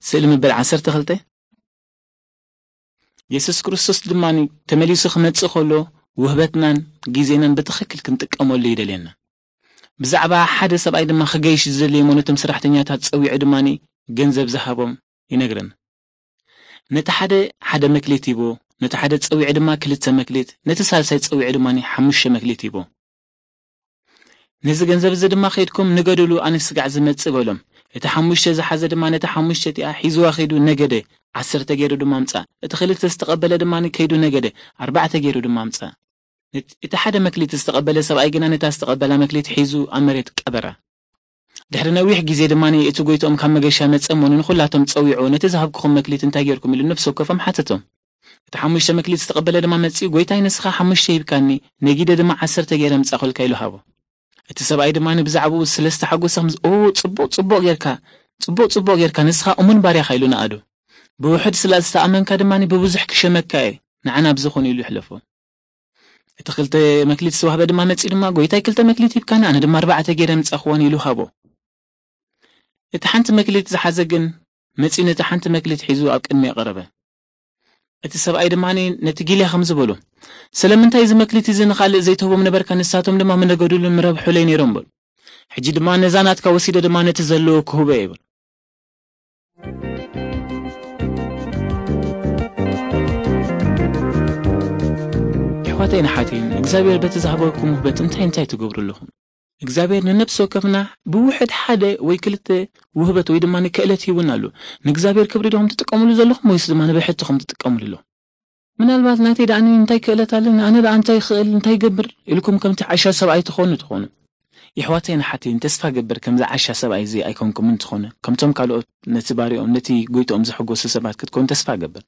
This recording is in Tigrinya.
ስእሊ ምብል ዓሰርተ ክልተ። የሱስ ክርስቶስ ድማ ተመሊሱ ክመጽእ ከሎ ውህበትናን ግዜናን ብትኽክል ክንጥቀመሉ ይደልየና። ብዛዕባ ሓደ ሰብኣይ ድማ ክገይሽ ዝደለየ እሞ ነቶም ሰራሕተኛታት ጸዊዑ ድማ ገንዘብ ዝሃቦም ይነግረና። ነቲ ሓደ ሓደ መክሊት ሂቦ፣ ነቲ ሓደ ጸዊዑ ድማ ክልተ መክሊት፣ ነቲ ሳልሳይ ጸዊዑ ድማ ሓሙሽተ መክሊት ሂቦ። ነዚ ገንዘብ እዚ ድማ ከይድኩም ንገድሉ፣ ኣነ ስጋዕ ዝመጽእ በሎም። እቲ ሓሙሽተ ዝሓዘ ድማ ነቲ ሓሙሽተ እቲኣ ሒዝዋ ከይዱ ነገደ፣ ዓሰርተ ገይሩ ድማ ኣምጻ። እቲ ክልተ ዝተቐበለ ድማ ከይዱ ነገደ፣ ኣርባዕተ ገይሩ ድማ ኣምጻ። ነት-፣ እቲ ሓደ መክሊት ዝተቐበለ ሰብኣይ ግና ነታ ዝተቐበላ መክሊት ሒዙ ኣብ መሬት ቀበራ። ድሕሪ ነዊሕ ግዜ ድማ እቲ ጎይትኦም ካብ መገሻ መጸ እሞ ንኹላቶም ጸዊዑ፣ ነቲ ዝሃብኩኹም መክሊት እንታይ ጌርኩም ኢሉ ነፍሲ ወከፎም ሓተቶም። እቲ ሓሙሽተ መክሊት ዝተቐበለ ድማ መጺኡ፣ ጎይታይ ንስኻ ሓሙሽተ ሂብካኒ፣ ነጊደ ድማ ዓሰርተ ገይረ ምጻኹልካ ኢሉ ሃቦ። እቲ ሰብኣይ ድማ ብዛዕባኡ ስለ ዝተሓጎሰ ከምዚ፣ ኦ ጽቡቕ ጽቡቕ ጌርካ፣ ጽቡቕ ጽቡቕ ጌርካ፣ ንስኻ እሙን ባርያኻ ኢሉ ነኣዶ። ብውሑድ ስለ ዝተኣመንካ ድማ ብብዙሕ ክሸመካ እየ፣ ንዓና ኣብዚ ኹን ኢሉ ይሕለፎ። እቲ ክልተ መክሊት ዝተዋህበ ድማ መጺኡ ድማ፣ ጎይታይ ክልተ መክሊት ሂብካኒ፣ ኣነ ድማ ኣርባዕተ ገይረ ምጻኹወን ኢሉ ሃቦ። እቲ ሓንቲ መክሊት ዝሓዘ ግን መጺኡ ነቲ ሓንቲ መክሊት ሒዙ ኣብ ቅድሚ የቐረበ። እቲ ሰብኣይ ድማ ነቲ ጊልያ ከምዚ በሎ፣ ስለምንታይ እዚ መክሊት እዚ ንኻልእ ዘይትህቦም ነበርካ? ንሳቶም ድማ ምነገዱሉን ምረብሑለይ ነይሮም በሉ። ሕጂ ድማ ነዛ ናትካ ወሲደ ድማ ነቲ ዘለዎ ክህቦ እየ በሉ። ኣሕዋተይን ኣሓተይን፣ እግዚኣብሔር በቲ ዝሃበኩም ውህበት እንታይ እንታይ ትገብሩ ኣለኹም? እግዚኣብሔር ንነፍሲ ወከፍና ብውሕድ ሓደ ወይ ክልተ ውህበት ወይ ድማ ንክእለት ሂቡና ኣሎ። ንእግዚኣብሔር ክብሪ ዲኹም ትጥቀምሉ ዘለኹም ወይስ ድማ ንብሕትኹም ትጥቀምሉ ኣለኹም? ምናልባት ናተይ ደኣ እንታይ ክእለት ኣለኒ፣ ኣነ ደኣ እንታይ ክእል፣ እንታይ ይገብር ኢልኩም ከምቲ ዓሻ ሰብኣይ ትኾኑ ትኾኑ። የሕዋተይን ኣሓተይን፣ ተስፋ ገብር ከምዚ ዓሻ ሰብኣይ እዚ ኣይኮንኩምን ትኾኑ። ከምቶም ካልኦት ነቲ ባርኦም፣ ነቲ ጎይትኦም ዘሐጎሱ ሰባት ክትኮኑ ተስፋ ገብር።